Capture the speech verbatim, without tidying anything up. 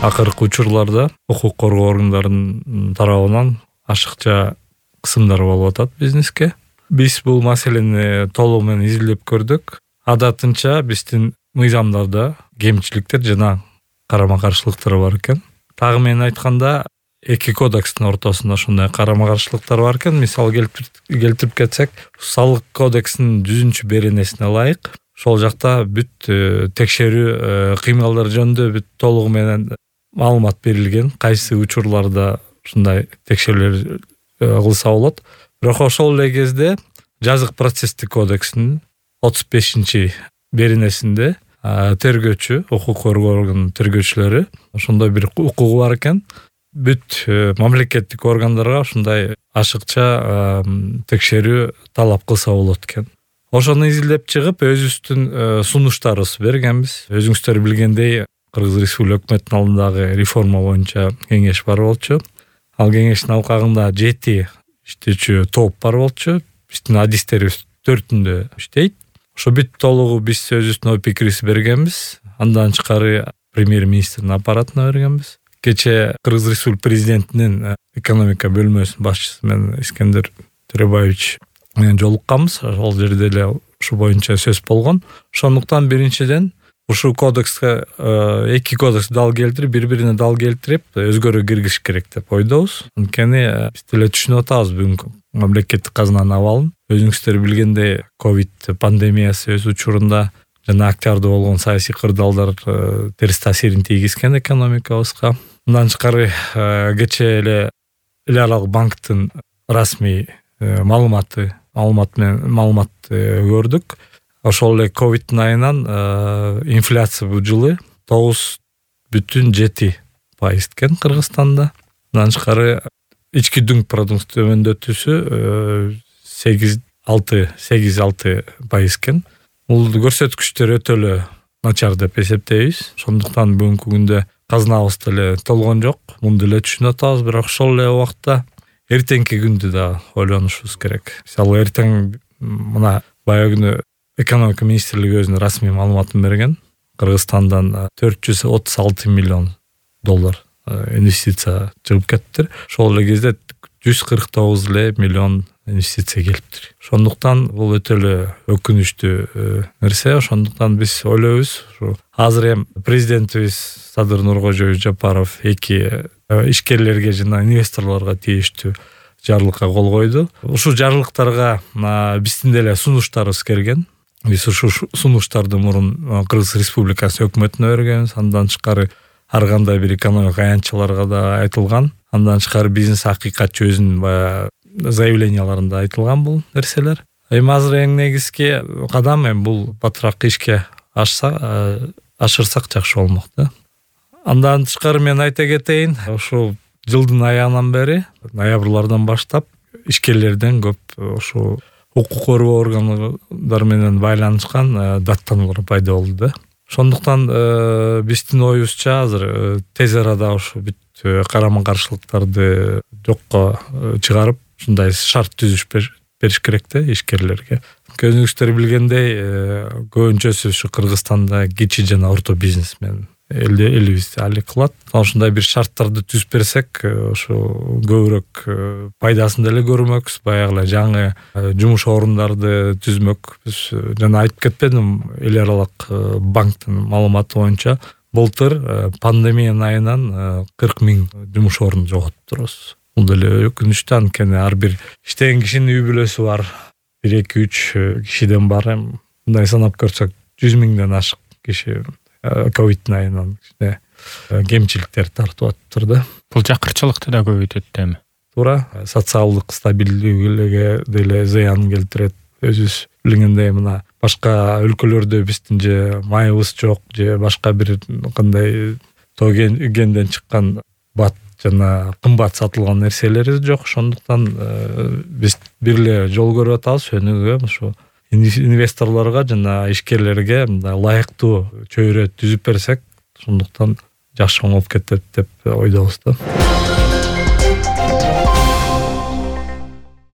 акыркы учурларда укук коргоо органдарынын тарабынан ашыкча кысымдар болуп атат бизнеске. Биз бул маселени толугу менен изилдеп көрдүк. Адатынча биздин мыйзамдарда кемчиликтер жана карама-каршылыктар бар экен. Тагы менен айтканда эки кодекстин ортосунда ушундай карама-каршылыктар бар экен. Мисалы келтирип кетсек, салык кодексинин жүзүнчү беренесине ылайык ошол жакта бүт текшерүү кыймылдар жөнүндө бүт толугу менен маалымат берилген. Кайсы учурларда ушундай текшерүүлөр кылса болот. Бирок ошол эле кезде жазык процесстик кодексинин отуз бешинчи беренесинде тергөөчү, укук коргоо органынын тергөөчүлөрү ошондой бир укугу бар экен. Бүт мамлекеттик органдарга ушундай ашыкча текшерүү талап кылса болот экен. Ошону изилдеп чыгып, өзүбүздүн сунуштарыбыз бергенбиз. Өзүңүздөр билгендей, Кыргыз Республика өкмөтүнүн алдындагы реформа боюнча кеңеш бар болчу. Ал кеңештин алкагында жети иштөөчү топ бар болчу. Биздин адистерибиз төртүндө иштейт. Ошо бүт толугу биз өзүбүздүн ой пикирибизди бергенбиз. Андан тышкары премьер-министрдин аппаратына бергенбиз. Кече Кыргыз Республика президентинин экономика бөлмөсүнүн башчысы менен Искендер Төрөбаевич менен жолукканбыз. Ошол жерде эле ушу боюнча сөз болгон. Ошондуктан биринчиден ушу кодекске эки кодекс дал келтирип, бири-бирине дал келтирип, өзгөрүү киргизиш керек деп ойдобуз. Анткени биз деле түшүнүп атабыз бүгүнкү мамлекеттик казынанын абалын. Өзүңүздөр билгендей, ковид пандемиясы өз учурунда жана октябрда болгон саясий кырдаалдар терс таасирин тийгизген экономикабызга. Мындан тышкары кече эле эл аралык банктын расмий маалыматы, маалымат менен маалымат көрдүк. Ошол эле ковидтин айынан инфляция бул жылы тогуз бүтүн жети пайыз экен Кыргызстанда. Мындан тышкары ички дүң продукт төмөндөтүүсү сегиз алты пайыз экен. Бул көрсөткүчтөр өтө эле начар деп эсептейбиз. Ошондуктан бүгүнкү күндө казынабыз деле толгон жок. Муну деле түшүнүп атабыз, бирок ошол эле убакта эртеңки күндү да ойлонушубуз керек. Мисалы эртең мына баягы күнү экономика министрлиги өзүнүн расмий маалыматын берген. Кыргызстандан төрт жүз отуз алты миллион доллар инвестиция чыгып кетиптир. Ошол эле кезде жүз кырк тогуз эле миллион инвестиция келиптир. Ошондуктан бул өтө эле өкүнүчтүү нерсе. Ошондуктан биз ойлойбуз, ушу азыр эми президентибиз Садыр Нуркожоевич Жапаров эки ишкерлерге жана инвесторлорго тийиштүү жарлыкка кол койду. Ушул жарлыктарга биздин деле сунуштарыбыз келген. Биз ушул сунуштарды мурун Кыргыз Республикасы өкмөтүнө бергенбиз. Андан тышкары ар кандай бир экономика аянтчыларга да айтылган. Андан тышкары бизнес акыйкатчы өзүнүн баягы заявленияларында айтылган бул нерселер. Эми азыр эң негизги кадам эми бул батыраак ишке ашса, ашырсак жакшы болмок да. Андан тышкары мен айта кетейин, ошо жылдын аягынан бери, ноябрлардан баштап ишкерлерден көп ошо укук коргоо органдары менен байланышкан даттануулар пайда болду да. Ошондуктан биздин оюбузча азыр тез арада ошо бүт карама-каршылыктарды жокко чыгарып, ушундай шарт түзүш бериш керек да ишкерлерге. Өзүңүздөр билгендей, көбүнчөсү ушу Кыргызстанда кичи жана орто бизнес менен элибиз али кылат. Ошондой бир шарттарды түзүп берсек, ошо көбүрөөк пайдасын деле көрмөкпүз, баягы эле жаңы жумуш орундарды түзмөкпүз. Жана айтып кетпедим, эл аралык банктын маалыматы боюнча былтыр пандемиянын айынан кырк миң жумуш орун жоготтурбуз. Бул деле өкүнүчтүү, анткени ар бир иштеген кишинин үй бүлөсү бар. бир эки үч кишиден бар. Мындай санап көрсөк, жүз миңден ашык киши ковидтин айынан кемчиликтер тартып атыптыр да. Бул жакырчылыкты да көбөйтөт эми. Туура, социалдык стабилдүүлүгүгө деле зыян келтирет. Өзүбүз билгендей, мына башка өлкөлөрдө биздин же майыбыз жок, же башка бир кандай тогенден чыккан бат жана кымбат сатылган нерселери жок. Ошондуктан биз бир эле жол көрүп атабыз, өнүгүүгө, ошо инвесторлорго жана ишкерлерге мындай ылайыктуу чөйрө түзүп берсек, ошондуктан жакшы оңолуп кетет деп ойдобуз да.